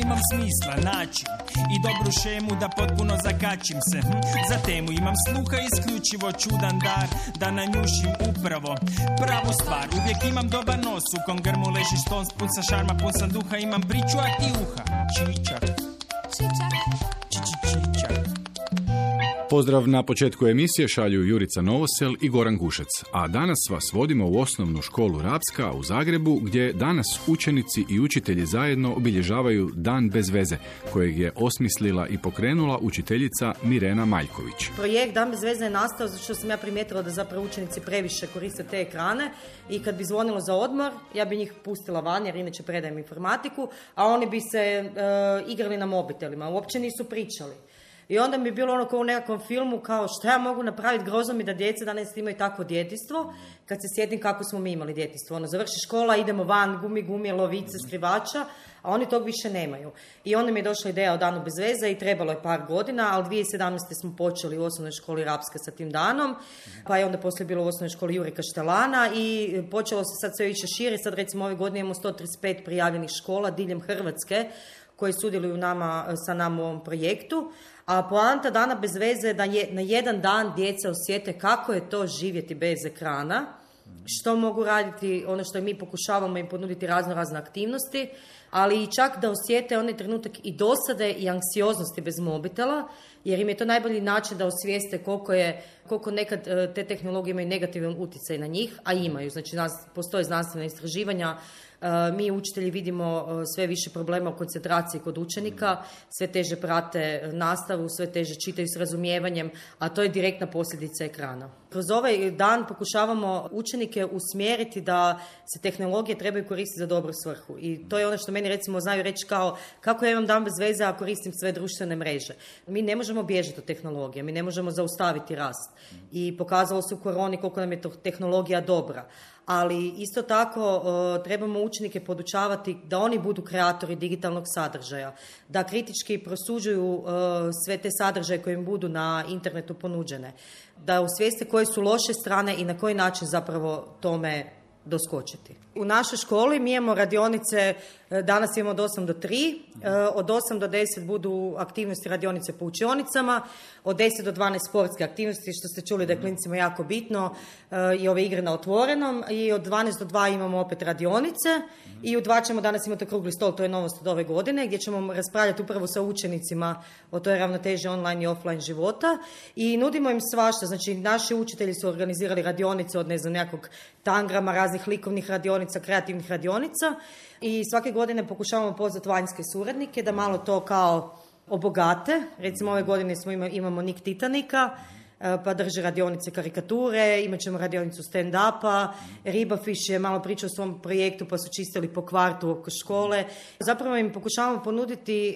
imam smisla, način i dobru šemu da potpuno zakačim se. Za temu imam sluha, isključivo čudan dar da nanjušim upravo pravu stvar. Uvijek imam dobar nos, u kom grmu leži šton, pun sa šarma, pun sam duha, imam priču, a ti uha. Čičak. Čičak. Pozdrav na početku emisije šalju Jurica Novosel i Goran Gušec, a danas vas vodimo u osnovnu školu Rapska u Zagrebu, gdje danas učenici i učitelji zajedno obilježavaju Dan bez veze, kojeg je osmislila i pokrenula učiteljica Mirena Maljković. Projekt Dan bez veze je nastao zato što sam ja primijetila da zapravo učenici previše koriste te ekrane i kad bi zvonilo za odmor, ja bi njih pustila van jer inače predajem informatiku, a oni bi se igrali na mobitelima, uopće nisu pričali. I onda mi je bilo ono kao u nekakvom filmu, kao šta ja mogu napraviti, grozno mi da djeca danas imaju takvo djetinjstvo, kad se sjetim kako smo mi imali djetinjstvo. Ono, završi škola, idemo van, gumi, lovice, skrivača, a oni tog više nemaju. I onda mi je došla ideja o Danu bez veze i trebalo je par godina, ali 2017. smo počeli u osnovnoj školi Rapska sa tim danom, pa je onda poslije bilo u osnovnoj školi Jure Kaštelana i počelo se sad sve više šire. Sad recimo ove godine imamo 135 prijavljenih škola diljem Hrvatske koji sudjeluju sa nama u ovom projektu. A poanta Dana bez veze je da na jedan dan djeca osjete kako je to živjeti bez ekrana, što mogu raditi, ono što mi pokušavamo im ponuditi razne aktivnosti, ali i čak da osjete onaj trenutak i dosade i anksioznosti bez mobitela, jer im je to najbolji način da osvijeste koliko nekad te tehnologije imaju negativan utjecaj na njih, a imaju. Znači, postoje znanstvena istraživanja. Mi učitelji vidimo sve više problema u koncentraciji kod učenika, sve teže prate nastavu, sve teže čitaju s razumijevanjem, a to je direktna posljedica ekrana. Kroz ovaj dan pokušavamo učenike usmjeriti da se tehnologije trebaju koristiti za dobru svrhu. I to je ono što meni recimo znaju reći kao kako ja imam dan bez veze a koristim sve društvene mreže. Mi ne možemo bježati od tehnologije, mi ne možemo zaustaviti rast. I pokazalo se u koroni koliko nam je tehnologija dobra. Ali isto tako trebamo učenike podučavati da oni budu kreatori digitalnog sadržaja, da kritički prosuđuju sve te sadržaje koje im budu na internetu ponuđene, da osvijeste koje su loše strane i na koji način zapravo tome doskočiti. U našoj školi mi imamo radionice, danas imamo od 8 do 3, od 8 do 10 budu aktivnosti radionice po učionicama, od 10 do 12 sportske aktivnosti, što ste čuli da je klincima jako bitno, i ove igre na otvorenom, i od 12 do 2 imamo opet radionice i u 2 ćemo danas imati okrugli stol, to je novost od ove godine, gdje ćemo raspravljati upravo sa učenicima o toj ravnoteži online i offline života i nudimo im svašta. Znači, naši učitelji su organizirali radionice od nekog tangrama, raznih likovnih radionica, kreativnih radionica i svake godine pokušavamo pozvati vanjske suradnike da malo to kao obogate. Recimo ove godine imamo Nik Titanika, pa drže radionice karikature, imat ćemo radionicu stand-upa, Ribafiš je malo pričao o svom projektu pa su čistili po kvartu oko škole. Zapravo im pokušavamo ponuditi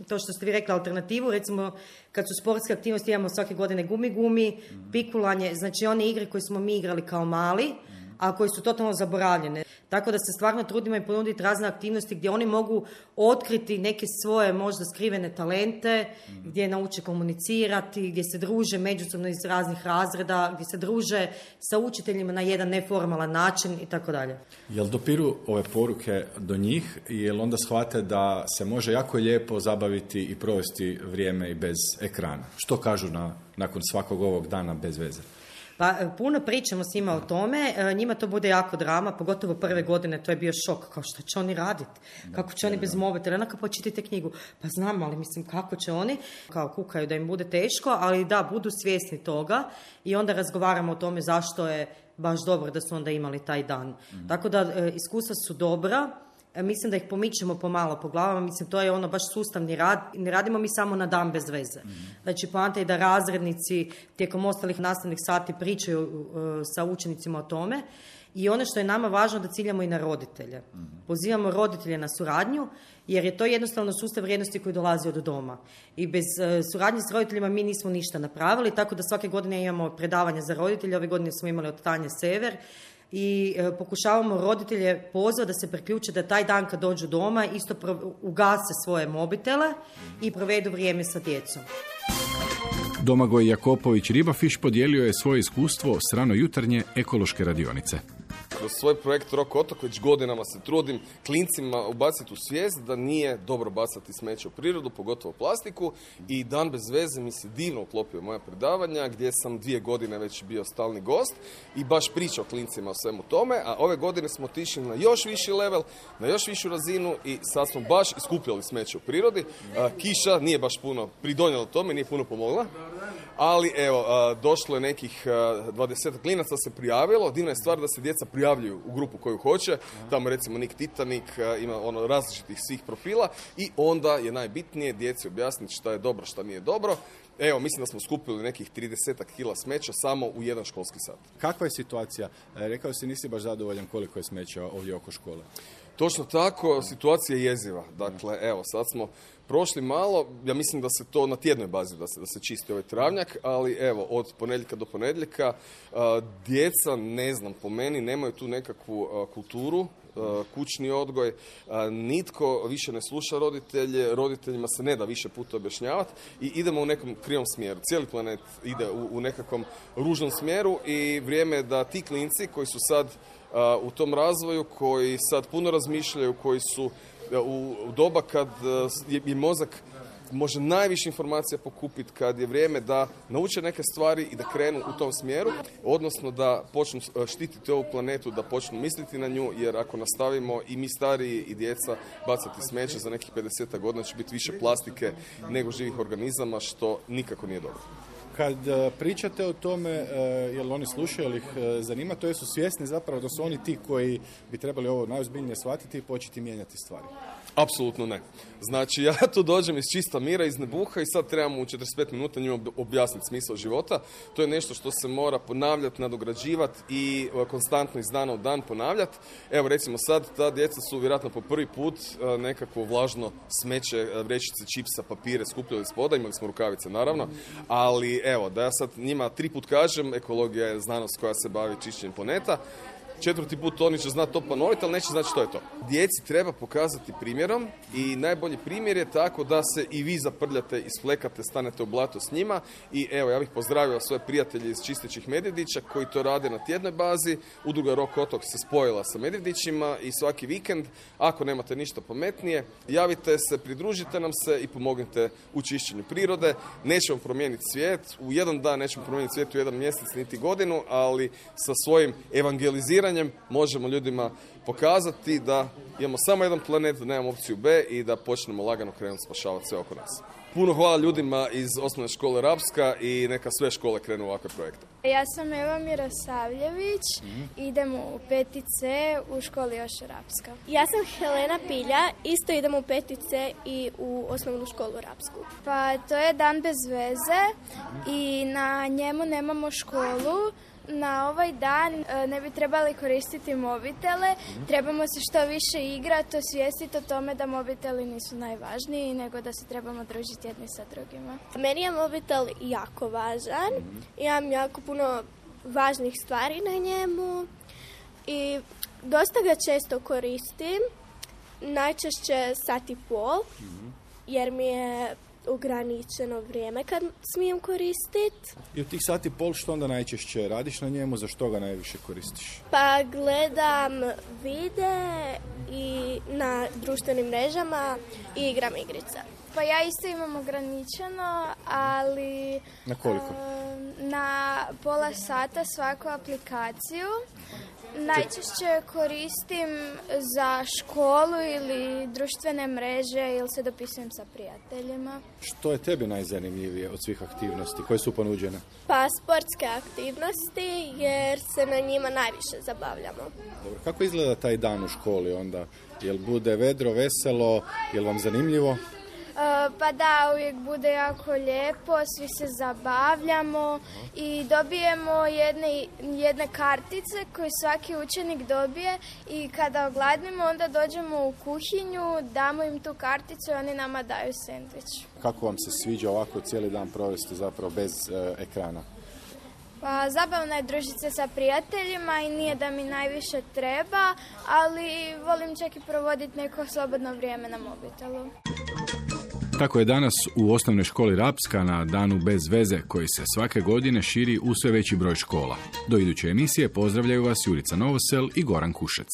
to što ste vi rekli, alternativu, recimo kad su sportske aktivnosti imamo svake godine gumi, pikulanje, znači one igre koje smo mi igrali kao mali, a koji su totalno zaboravljene. Tako da se stvarno trudimo i ponuditi razne aktivnosti gdje oni mogu otkriti neke svoje možda skrivene talente, gdje nauče komunicirati, gdje se druže međusobno iz raznih razreda, gdje se druže sa učiteljima na jedan neformalan način i tako dalje. Jel dopiru ove poruke do njih, jel onda shvate da se može jako lijepo zabaviti i provesti vrijeme i bez ekrana? Što kažu nakon svakog ovog dana bez veze? Pa puno pričamo s njima o tome, njima to bude jako drama, pogotovo prve godine, to je bio šok, kao što će oni raditi, kako će oni bez mobitela, onako pa čitajte knjigu, pa znam, ali mislim kako će oni, kao kukaju da im bude teško, ali da, budu svjesni toga i onda razgovaramo o tome zašto je baš dobro da su onda imali taj dan. Tako da iskustva su dobra. Mislim da ih pomičemo pomalo po glavama, mislim to je ono baš sustavni rad, ne radimo mi samo na dan bez veze. Znači poanta je da razrednici tijekom ostalih nastavnih sati pričaju sa učenicima o tome i ono što je nama važno da ciljamo i na roditelje. Pozivamo roditelje na suradnju jer je to jednostavno sustav vrijednosti koji dolazi od doma. I bez suradnje s roditeljima mi nismo ništa napravili, tako da svake godine imamo predavanja za roditelje, ove godine smo imali od Tanje Sever, i pokušavamo roditelje pozvati da se priključe da taj dan kad dođu doma isto ugase svoje mobitele i provedu vrijeme sa djecom. Domagoj Jakopović Ribafiš podijelio je svoje iskustvo s ranojutarnje ekološke radionice. kroz svoj projekt Rock Otok već godinama se trudim klincima ubaciti u svijest da nije dobro bacati smeće u prirodu, pogotovo plastiku, i Dan bez veze mi se divno uklopio moja predavanja gdje sam 2 godine već bio stalni gost i baš pričao klincima o svemu tome, a ove godine smo otišli na još viši level, na još višu razinu i sad smo baš iskupljali smeće u prirodi. Kiša nije baš puno pridonijela tome, nije puno pomogla, ali evo, došlo je nekih 20 klinaca se prijavilo. Divna je stvar da se djeca prijavljuju u grupu koju hoće. Tamo recimo Nick Titanik ima različitih svih profila i onda je najbitnije djeci objasniti šta je dobro, šta nije dobro. Evo, mislim da smo skupili nekih 30 kila smeća samo u jedan školski sat. Kakva je situacija? Rekao si nisi baš zadovoljan koliko je smeća ovdje oko škole. Točno tako, situacija je jeziva. Dakle, evo, sad smo prošli malo, ja mislim da se to na tjednoj bazi da se čisti ovaj travnjak, ali evo, od ponedjeljka do ponedjeljka djeca, ne znam, po meni nemaju tu nekakvu kulturu, kućni odgoj, nitko više ne sluša roditelje, roditeljima se ne da više puta objašnjavati i idemo u nekom krivom smjeru. Cijeli planet ide u nekakvom ružnom smjeru i vrijeme je da ti klinci koji su sad u tom razvoju, koji sad puno razmišljaju, koji su u doba kad je mozak može najviše informacija pokupiti, kad je vrijeme da nauče neke stvari i da krenu u tom smjeru, odnosno da počnu štititi ovu planetu, da počnu misliti na nju, jer ako nastavimo i mi stariji i djeca bacati smeće, za nekih 50 godina će biti više plastike nego živih organizama, što nikako nije dobro. Kad pričate o tome, jel oni slušaju, jel ih zanima, to jesu svjesni zapravo da su oni ti koji bi trebali ovo najozbiljnije shvatiti i početi mijenjati stvari? Apsolutno ne. Znači, ja tu dođem iz čista mira, iz nebuha i sad trebamo u 45 minuta njima objasniti smisao života. To je nešto što se mora ponavljati, nadograđivati i konstantno iz dana u dan ponavljati. Evo, recimo sad, ta djeca su vjerojatno po prvi put nekakvo vlažno smeće, vrećice, čipsa, papire skupljali s poda, imali smo rukavice naravno, ali evo, da ja sad njima 3 put kažem, ekologija je znanost koja se bavi čišćenjem planeta, 4. put oni će znati to ponoviti, ali neće znati što je to. Djeci treba pokazati primjerom i najbolji primjer je tako da se i vi zaprljate, isflekate, stanete u blato s njima i evo, ja bih pozdravio svoje prijatelje iz Čistećih Medvjedića koji to rade na tjednoj bazi. Udruga Rock Otok se spojila sa Medvjedićima i svaki vikend, ako nemate ništa pametnije, javite se, pridružite nam se i pomognite u čišćenju prirode. Nećemo promijeniti svijet, u jedan dan nećemo promijeniti svijet, u jedan mjesec, niti godinu, ali sa svojim evangeliziranjem možemo ljudima pokazati da imamo samo jedan planet, da nemamo opciju B i da počnemo lagano krenuti spašavati sve oko nas. Puno hvala ljudima iz osnovne škole Rapska i neka sve škole krenu u ovakve projekte. Ja sam Eva Mirosavljević, idem u 5C u školi Joše Rapska. Ja sam Helena Pilja, isto idem u 5C i u osnovnu školu Rapsku. Pa to je Dan bez veze i na njemu nemamo školu. Na ovaj dan ne bi trebali koristiti mobitele, trebamo se što više igrati, osvijestiti o tome da mobiteli nisu najvažniji, nego da se trebamo družiti jedni sa drugima. Meni je mobitel jako važan, imam jako puno važnih stvari na njemu i dosta ga često koristim, najčešće 1,5 sata, jer mi je ograničeno vrijeme kad smijem koristiti. I u tih 1,5 sata što onda najčešće radiš na njemu, zašto ga najviše koristiš? Pa gledam videe i na društvenim mrežama i igram igrice. Pa ja isto imam ograničeno, ali na koliko? Na pola sata svaku aplikaciju. Najčešće koristim za školu ili društvene mreže ili se dopisujem sa prijateljima. Što je tebi najzanimljivije od svih aktivnosti koje su ponuđene? Pa sportske aktivnosti jer se na njima najviše zabavljamo. Dobro, kako izgleda taj dan u školi onda? Jel bude vedro, veselo, jel vam zanimljivo? Pa da, uvijek bude jako lijepo, svi se zabavljamo i dobijemo jedne kartice koje svaki učenik dobije i kada ogladnimo onda dođemo u kuhinju, damo im tu karticu i oni nama daju sendvič. Kako vam se sviđa ovako cijeli dan provesti zapravo bez ekrana? Pa zabavno je družiti se sa prijateljima i nije da mi najviše treba, ali volim čak i provoditi neko slobodno vrijeme na mobitelu. Tako je danas u osnovnoj školi Rapska na Danu bez veze koji se svake godine širi u sve veći broj škola. Do iduće emisije pozdravljaju vas Jurica Novosel i Goran Kušec.